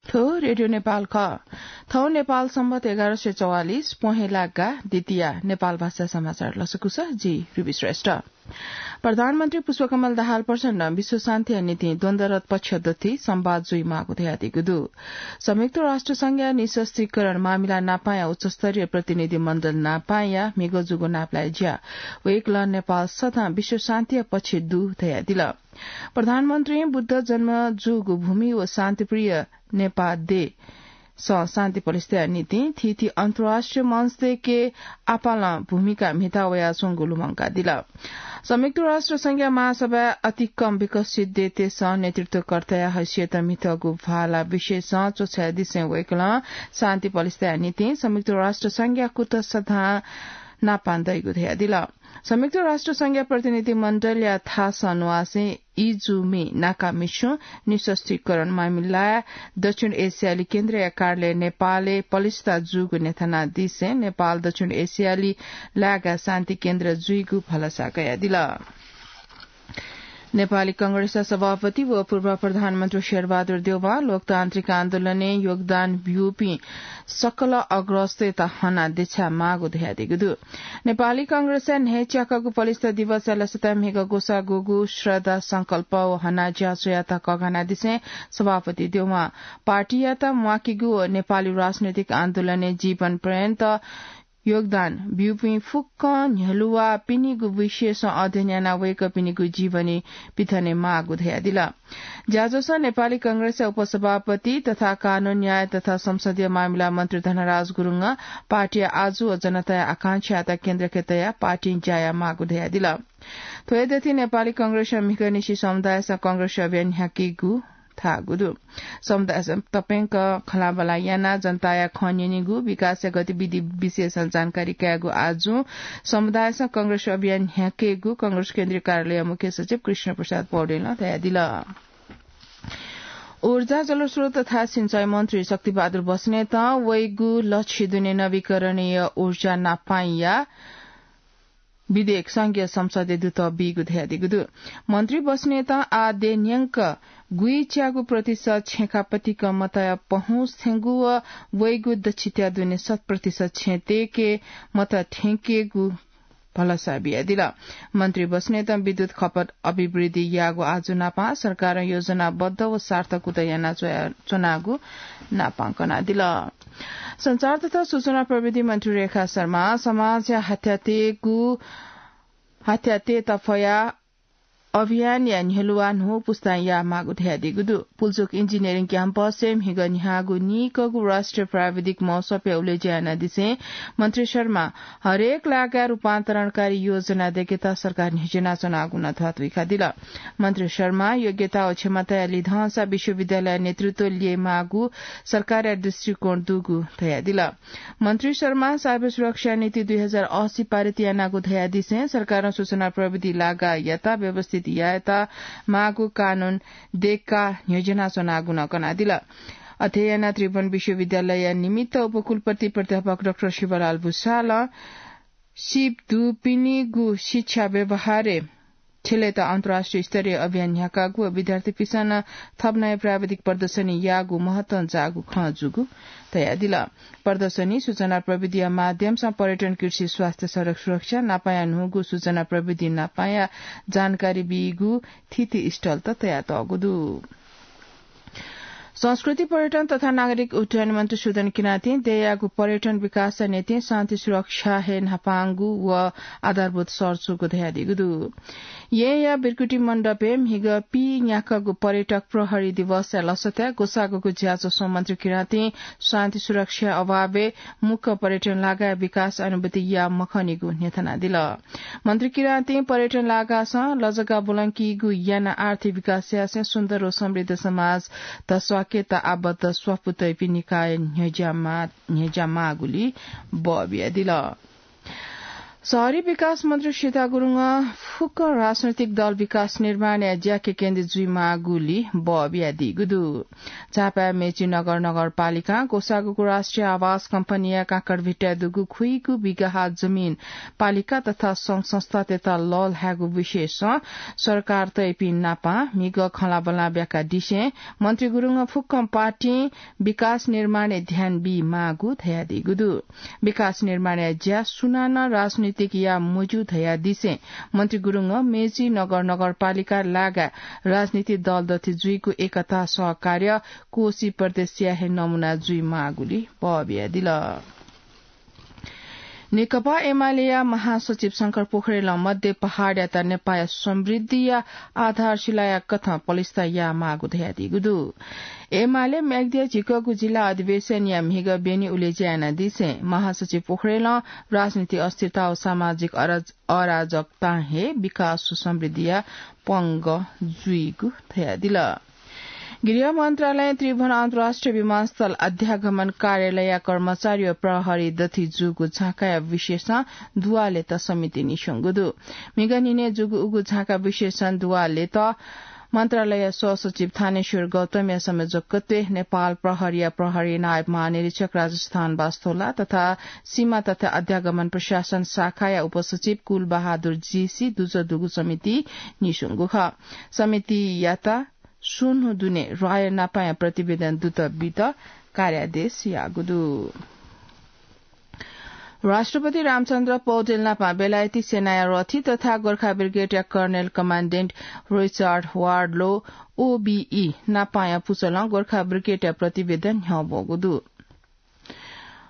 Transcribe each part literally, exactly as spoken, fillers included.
थ्व रेडियो नेपाल खः। थौं नेपाल सम्बत एघार सय चौवालिस, पहेँला गा, द्वितीया नेपाल भाषा समाचार लसकुस, जि रुबी श्रेष्ठ। प्रधानमन्त्री पुष्पकमल दाहाल प्रचण्ड विश्व शान्तिया निंतिं द्वन्द्वरत पक्ष दथुइ संवाद जुइमाःगु धयादीगु दु। संयुक्त राष्ट्र संघया निःशस्त्रीकरण मामिला नापांया उच्चस्तरीय प्रतिनिधि मण्डल नापांया म्हिगः जूगु नापलाये ज्या वय्कलं नेपाल सदां विश्व शान्तिया पक्षय् दु धयादिल। प्रधानमन्त्रीं बुद्ध जन्म जूगु भूमि व शान्तिप्रिय नेपाः देशं शान्ति प्रतिष्ठाया निंतिं थीथी अन्तर्राष्ट्रिय मञ्च दय्के आपालं भूमिका म्हिता वयाच्वंगु लुमंकादिल। संयुक्त राष्ट्र संघया महासभाय् अति कम विकसित देशतय्सं नेतृत्वकर्ताया हैसियत म्हितःगु भाला विषयसं च्वछाय् दिसें वय्कलं शान्ति प्रतिष्ठाया निंतिं संयुक्त राष्ट्र संघया कुतः सदां नापां दइगु धयादिल। संयुक्त राष्ट्र संघया प्रतिनिधि मण्डलया थासं न्वासें इजुमी नाकामिच्युं निःशस्त्रीकरण मामिलाय् दक्षिण एसियाली केन्द्रया कार्यालय नेपालय् पलिस्था जूगु न्ह्यथनादिसें नेपाल दक्षिण एसियाली लाय्काः शान्ति केन्द्र जुइगु भलसा कयादिल। नेपाली कांग्रेसया सभापति व पूर्व प्रधानमन्त्री शेरबहादुर देउवां लोकतान्त्रिक आन्दोलनय् योगदान ब्यूपिं सकल अग्रजतय्त हनाः देछाये माःगु धयादीगु दु। नेपाली कांग्रेसया न्हय्च्याकागु पलिस्था दिवसया लसताय् म्हिगः ग्वसाः गुगु श्रद्धा संकल्प व हनाः ज्या स्वयाः कःघानादिसें सभापति देउवां पार्टीयात म्वाकेगु व नेपाली राजनैतिक आन्दोलनय् जीवन पर्यन्त योगदान ब्यूपिं फुक्कं न्ह्यलुवाःपिनिगु विषयसं अध्ययन यानाः वय्कःपिनिगु जीवनी पिथने माःगु धयादिल। ज्याझ्वलय् नेपाली कांग्रेसया उपसभापति तथा कानून, न्याय तथा संसदीय मामिला मन्त्री धनराज गुरुङं पार्टीया आजु व जनताया आकांक्षायात केन्द्रय् तयाः पार्टीं ज्या यायेमाःगु धयादिल। थ्व हे दथुइ नेपाली कांग्रेसं म्हिगःनिसें समुदायसं कांग्रेस अभियान न्ह्याकेगु धाःगु दु। समुदायसं तप्यंक खँल्हाबल्हा यानाः जनताया खँ न्यनेगु, विकासया गतिविधि विषयसं जानकारी कायेगु आजुं समुदायसं कांग्रेस अभियान न्ह्याकेगु कांग्रेस केन्द्रीय कार्यालयया मुख्य सचिव कृष्ण प्रसाद पौडेलं धयादिल। ऊर्जा, जलस्रोत तथा सिँचाइ मन्त्री शक्तिबहादुर बस्नेतं वइगु लछि दुने नवीकरणीय ऊर्जा नापांया विधेयक संघीय संसदय् दुतः बीगु धयादीगु दु। मन्त्री बस्नेतं आः देय् न्यंक गुइच्यागु प्रतिशत छेँखापतिक मतया पहुँच थ्यंगु व वइगु दछित्या दुने शत प्रतिशत छेँ तय्के मत थ्यंकेगु भलसा बियादिल। मन्त्री बस्नेतं विद्युत खपत अभिवृद्धि याःगु आजु नापं सरकारं योजनाबद्ध व सार्थक कुतः याना च्वया-, च्वनागु नापं कनादिल। सञ्चार तथा सूचना प्रविधि मन्त्री रेखा शर्मां समाजया हत्यातय्गु, हत्यातय्त फयाः अभियानया न्ह्यलुवाः न्हू पुस्तां यायेमाःगु धयादीगु दु। पुल्चोक इन्जिनियरिङ क्याम्पसय् म्हिगः न्ह्याःगु नीकःगु राष्ट्रिय प्राविधिक महोत्सवय् उलेज्या यानादिसें मन्त्री शर्मां हरेक लाय्काय् रूपान्तरणकारी योजना दय्केत सरकार न्ह्यज्यानाच्वनागु नं धयादीगु दु। मन्त्री शर्मां योग्यता व क्षमताया लिधंसा विश्वविद्यालय नेतृत्व ल्ययेमाःगु सरकारया दृष्टिकोण दुगु धयादिल। मन्त्री शर्मां साइबर सुरक्षा नीति दुई हजार असी पारित यानागु धयादिसें सरकारं सूचना प्रविधि लागाःयात व्यवस्थित यायेत माःगु कानून दय्काः न्ह्यज्यानाच्वनागु नं कनादिल। अथे यानाः त्रिभुवन विश्वविद्यालयया निमित्त उपकुलपति प्राध्यापक डाक्टर शिवलाल भुसालं सिप दुपिनिगु शिक्षा व्यवहारय् छ्यलेत अन्तर्राष्ट्रिय स्तरीय अभियान न्ह्याकागु व विद्यार्थीपिसं नं थप नयाँ प्राविधिक प्रदर्शनी याःगु महत्वं जाःगु खँ जूगु धयादिल। प्रदर्शनी सूचना प्रविधिया माध्यमसं पर्यटन, कृषि, स्वास्थ्य, सडक सुरक्षा नापांया न्हूगु सूचना प्रविधि नापांया जानकारी बीगु थीथी stall त तयातःगु दु। संस्कृति, पर्यटन तथा नागरिक उड्डयन मन्त्री सुदन किराँतीं देय्‌यागु पर्यटन विकासया निंतिं शान्ति सुरक्षा हे न्हापांगु व आधारभूत शर्त जूगु धयादीगु दु। येँया बिर्कुटी मण्डपय् म्हिगः पीन्याकागु पर्यटक प्रहरी दिवसया लसताय् ग्वसाःगुगु ज्याझ्वलय् मन्त्री किराँतीं शान्ति सुरक्षा अभावय् मुक्कं पर्यटन लागाय् विकास अनुभूति याये मखनीगु न्ह्यथनादिल। मन्त्री किराँतीं पर्यटन लागाःसां लजगाः ब्वलंकीगु यानाः आर्थिक विकास यासें सुन्दर व समृद्ध समाज धस्वाकेत आबद्ध स्वापू तइपिं निकाय न्ह्यज्यामा-, न्ह्यज्यामाःगुली बः बियादिल। शहरी विकास मन्त्री सीता गुरुङं फुक्क राजनैतिक दल विकास निर्माणया ज्याके केन्द्रित जुइमाःगुली बः बियादीगु दु। झापाया मेची नगर नगरपालिकां ग्वसाःगु राष्ट्रिय आवास कम्पनीया काँकरभिट्टाय् दुगु खुइगु बिघा जमिन पालिका तथा संघ संस्थातय्त लःल्हायेगु विषयसं सरकार तय्पिं नापां म्हिगः खँल्हाबल्हा ब्याकादिसें मन्त्री गुरुङं फुक्कं पार्टिं विकास निर्माणय् ध्यान बीमाःगु धयादीगु दु। विकास निर्माणया ज्या सुनानं राजनीतिक या मज्यू धयादिसें मन्त्री गुरुङं मेची नगर नगरपालिका लागा राजनीतिक दल दथि जुइगु एकता सहकार्य कोशी प्रदेशया हे नमूना जुइमाःगुली बः बियादिल। नेकपा एमालेया महासचिव शंकर पोखरेलं मध्य पहाडयात नेपालया समृद्धिया आधारशिलाया कथं पलिस्था यायेमाःगु धयादीगु दु। एमाले म्याग्दिया झिकःगु जिल्ला अधिवेशनया म्हिगः ब्यने उलेज्या यानादिसें महासचिव पोखरेलं राजनीतिक अस्थिरता व सामाजिक अराज-, अराजकतां हे विकास व समृद्धिया पंगः जुइगु धयादिल। गृह मन्त्रालयं त्रिभुवन अन्तर्राष्ट्रिय विमानस्थल अध्यागमन कार्यालयया कर्मचारी व प्रहरी दथि जूगु झाँकाया विषयसं दुवालेत समिति निस्वंगु दु। म्हिगः न्हिनय् जूगु उगु झाँका विषयसं दुवालेत मन्त्रालयया सहसचिव थानेश्वर गौतमया संयोजकत्वय् नेपाल प्रहरीया प्रहरी नायब महानिरीक्षक राजेश धनबास थोला तथा सीमा तथा अध्यागमन प्रशासन शाखाया उपसचिव कुलबहादुर जीसी दुजः दुगु समिति निस्वंगु खः। समितियात स्वन्हु दुने ह्वाःया नापाया प्रतिवेदन दुत बित कार्यादेश याःगु दु। राष्ट्रपति रामचन्द्र पौडेल नापं बेलायती सेनाया रथी तथा गोर्खा ब्रिगेडया कर्नेल कमाण्डेन्ट रिचर्ड वार्डलो, ओबीई, नापाया पुचलं गोर्खा ब्रिगेडया प्रतिवेदन न्ह्यब्वःगु दु।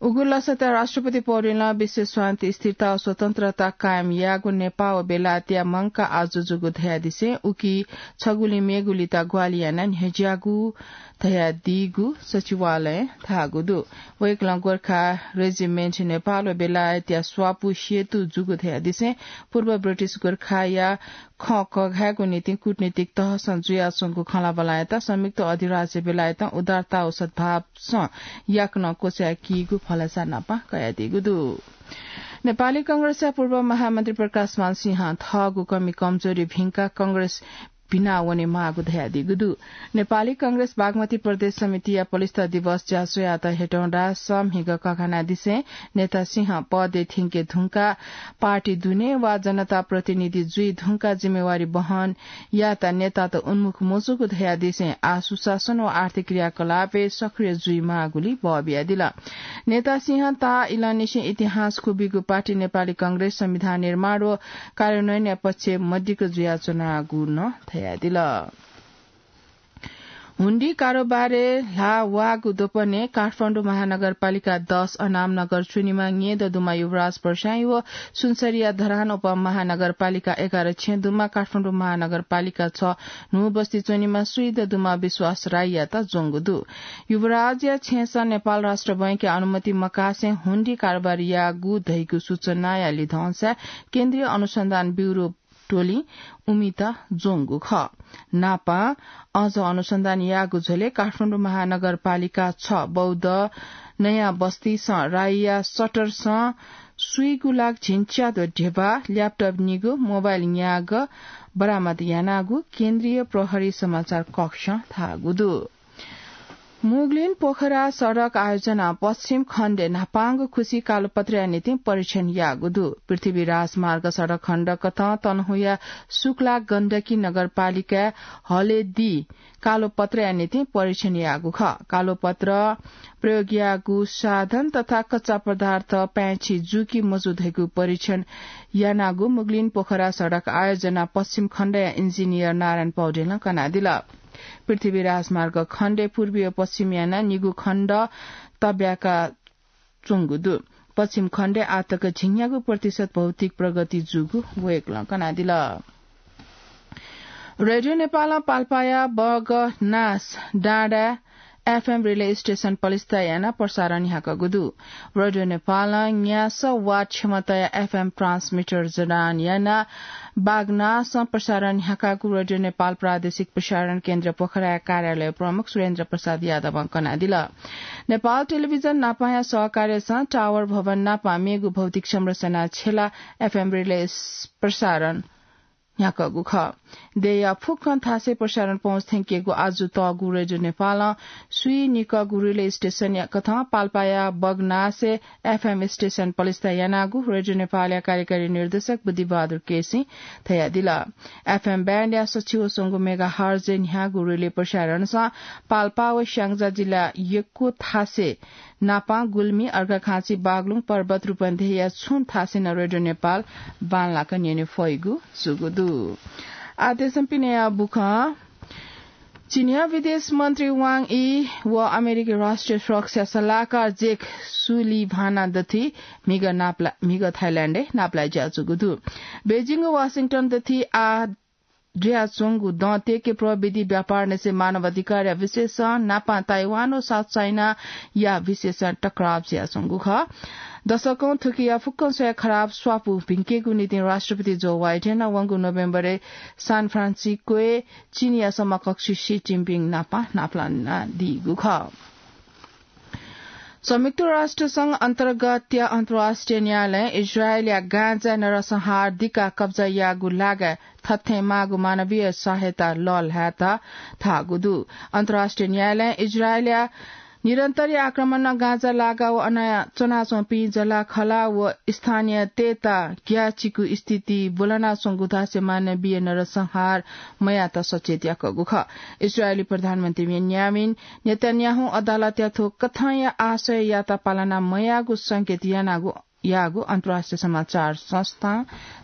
उगु लसताय् राष्ट्रपति पौडेलं विश्व शान्ति, स्थिरता व स्वतन्त्रता कायम यायेगु नेपाः व बेलायतया मंकाः आजु जूगु धयादिसें उकी छगुलिं मेगुलित ग्वाहालि यानाः न्ह्यज्याःगु धयादीगु सचिवालयं धाःगु दु। वय्कलं गोर्खा रेजिमेन्ट नेपाल व बेलायतया स्वापू सेतु जूगु धयादिसें पूर्व ब्रिटिश गोर्खाया खँ कघायेगु निंतिं कूटनीतिक तहसं जुयाच्वंगु खँल्हाबल्हायात संयुक्त अधिराज्य बेलायतं उदारता व सद्भावसं याकनं क्वचाय्कीगु भलसा नापं कयादीगु दु। नेपाली कांग्रेसया पूर्व महामन्त्री प्रकाशमान सिंहं थःगु कमी कमजोरी भिंकाः कांग्रेस भिना वनेमाःगु धयादीगु दु। नेपाली कांग्रेस बागमती प्रदेश समितिया पलिस्था दिवस ज्याझ्वःयात हेटौंडासं म्हिगः कघानादिसें नेता सिंह पदय् थ्यंके धुंकाः पार्टी दुने वा जनता प्रतिनिधि जुइ धुंकाः जिम्मेवारी बहन यायेत नेतात उन्मुख मजूगु धयादिसें आः सुशासन व आर्थिक क्रियाकलापय् सक्रिय जुइमाःगुली बः बियादिल। नेता सिंहं ताःइलंनिसें इतिहास क्वबिगु पार्टी नेपाली कांग्रेस संविधान निर्माण व कार्यान्वयनया पक्षय् मदिक्क जुयाच्वनागु नं धयादिल। हुन्डी कारोबारय् ल्हाः वाःगु द्वपनय् काठमाडौं महानगरपालिका दस अनामनगर च्वनेमा न्येदँ दुम्ह युवराज प्रशाय् व सुनसरीया धरान उपमहानगरपालिका एघार छेँ दुम्ह काठमाडौं महानगरपालिका छ न्हू बस्ती च्वनेमा स्वीदँ दुम्ह विश्वास राईयात ज्वंगु दु। युवराजया छेँसं नेपाल राष्ट्र बैंकया अनुमति मकासें हुन्डी कारोबार याःगु धइगु सूचनाया लिधंसा केन्द्रीय अनुसन्धान ब्युरो टोलिं उमित ज्वंगु खः। नापं अझ अनुसन्धान याःगु झ्वलय् काठमाडौं महानगरपालिका छ बौद्ध नयाँ बस्तीसं राईया सटरसं स्वीगू लाख झिंच्याद्वः ध्यबा, ल्यापटप निगू, मोबाइल न्यागः बरामद यानागु केन्द्रीय प्रहरी समाचार कक्षं धाःगु दु। मुगलिन पोखरा सडक आयोजनां पश्चिम खण्डय् न्हापांगु खुसी कालोपत्रया निंतिं परीक्षण याःगु दु। पृथ्वी राजमार्ग सडक खण्ड कथं तनहुँया सुक्ला गण्डकी नगरपालिकाय् हलेदी कालोपत्रया निंतिं परीक्षण याःगु खः। कालोपत्र प्रयोग याःगु साधन तथा कच्चा पदार्थ पाय्छि जू कि मजू धइगु परीक्षण यानागु मुगलिन पोखरा सडक आयोजना पश्चिम खण्डया इन्जिनियर नारायण पौडेलं कनादिल। पृथ्वी राजमार्ग खण्डय् पूर्वी व पश्चिम यानाः निगू खण्ड तब्याका च्वंगु दु। पश्चिम खण्डय् आःतक झिंन्यागू प्रतिशत भौतिक प्रगति जूगु वय्कलं कनादिल। रेडियो नेपालं पाल्पाया बगनास डाँडा एफएम रिले स्टेशन पलिस्था यानाः प्रसारण न्ह्याकागु दु। रेडियो नेपालं न्यासः वाट क्षमताया एफएम ट्रान्समिटर जडान यानाः बागनासं प्रसारण न्ह्याकागु रेडियो नेपाल प्रादेशिक प्रसारण केन्द्र पोखराया कार्यालय प्रमुख सुरेन्द्र प्रसाद यादवं कनादिल। नेपाल टेलिभिजन नापाया सहकार्यसं टावर भवन नापा मेगु भौतिक संरचना छेला एफएम रिले प्रसारण न्ह्याकःगु खः। देय्‌या फुक्कं थासय् प्रसारण पहुँच थ्यंकेगु आजु तःगु रेडियो नेपालं स्वीनिकःगु रिले स्टेशनया कथं पाल्पाया बगनासय् एफएम स्टेशन पलिस्था यानागु रेडियो नेपालया कार्यकारी निर्देशक बुद्धिबहादुर केसीं धयादिल। एफएम ब्यान्डया सछि व स्वंगू मेगाहर्जय् न्ह्याःगु रिले प्रसारणसं पाल्पा व स्याङ्जा जिल्ला यक्व थासय् नापां, गुल्मी, अर्घाखाँची, बागलुङ, पर्वत, रूपन्देहीया छुं थासय् नं रेडियो नेपाल बांलाक न्यने फइगु जूगु दु। आः देशं पिनेया बुखँ। चीनया विदेश मन्त्री वाङ यी व अमेरिकी राष्ट्रिय सुरक्षा सल्लाहकार जेक सुलिभान दथुइ म्हिगः नापला-, म्हिगः थाइल्याण्डय् नापलाये ज्याजूगु दु। बेजिङ व वाशिंटन दथुइ आः जुयाच्वंगु दँ तेके प्रविधि व्यापार निसें मानव अधिकारया विशेषं नापां ताइवान व साउथ चाइनाया विशेषं टकराव जुयाच्वंगु खः। दशकं थुकिया फुक्कं स्वया खराब स्वापू भिंकेगु निंतिं राष्ट्रपति जो बाइडेनं वंगु नोभेम्बरय् सान फ्रान्सिस्कोय् चीनया समकक्षी सी जिनपिङ नापा नापलानादीगु खः। संयुक्त राष्ट्र संघ अन्तर्गतया अन्तर्राष्ट्रिय न्यायालयं इजरायलया गाँजा नरसंहार दिकाः कब्जा याःगु लागाय् थथें माःगु मानवीय सहायता लःल्हायेत धाःगु दु। अन्तर्राष्ट्रिय न्यायालयं इजरायलया निरन्तरीय आक्रमणं गाँजा लागा व अन च्वनाच्वंपिं जःलाखःला व स्थानीयतय्त ग्याःचिकु स्थिति ब्वलनाच्वंगु धासें मानवीय नरसंहार मयायेत सचेत याकःगु खः। इजरायली प्रधानमन्त्री बेन्यामिन नेतन्याहुं अदालतया थ्व कथंया आशययात पालना मयाःगु संकेत यानागु, याःगु अन्तर्राष्ट्रिय समाचार संस्थां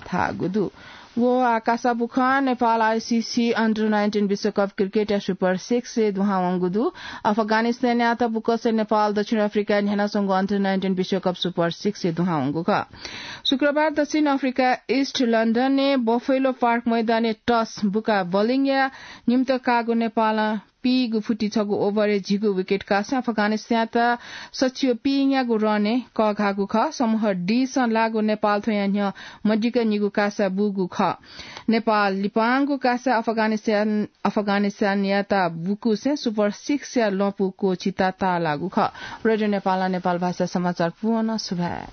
धाःगु दु। व आः कासा बुखँ। नेपाल आइसिसी अन्डर नाइन्टिन विश्वकप क्रिकेटया सुपर सिक्सय् दुहां वंगु दु। अफगानिस्तानयात बुकंसे नेपाल दक्षिण अफ्रिकाय् न्ह्यानाच्वंगु अन्डर नाइन्टिन विश्वकप सुपर सिक्सय् दुहां वंगु खः। शुक्रबार दक्षिण अफ्रिका इस्ट लन्डनय् बफेलो पार्क मैदानय् टस बुकाः बलिङया निम्त काःगु नेपालं पीगु फुति छगू ओभरय् झिगू विकेट काःसां अफगानिस्तानयात सछि व पीयागु रनय् कःघाःगु खः। समूह डीसं लाःगु नेपाल थ्वयां न्ह्यः मदिक्क निगू कासा बूगु खः। नेपाल लिपांगु कासा अफगानिस्तान, अफगानिस्तानयात बुकूसें सुपर सिक्सया लँपु क्वःछिता ताःलाःगु खः। रेडियो नेपालं नेपाल भाषा समाचार पूवंनं सुभाय्।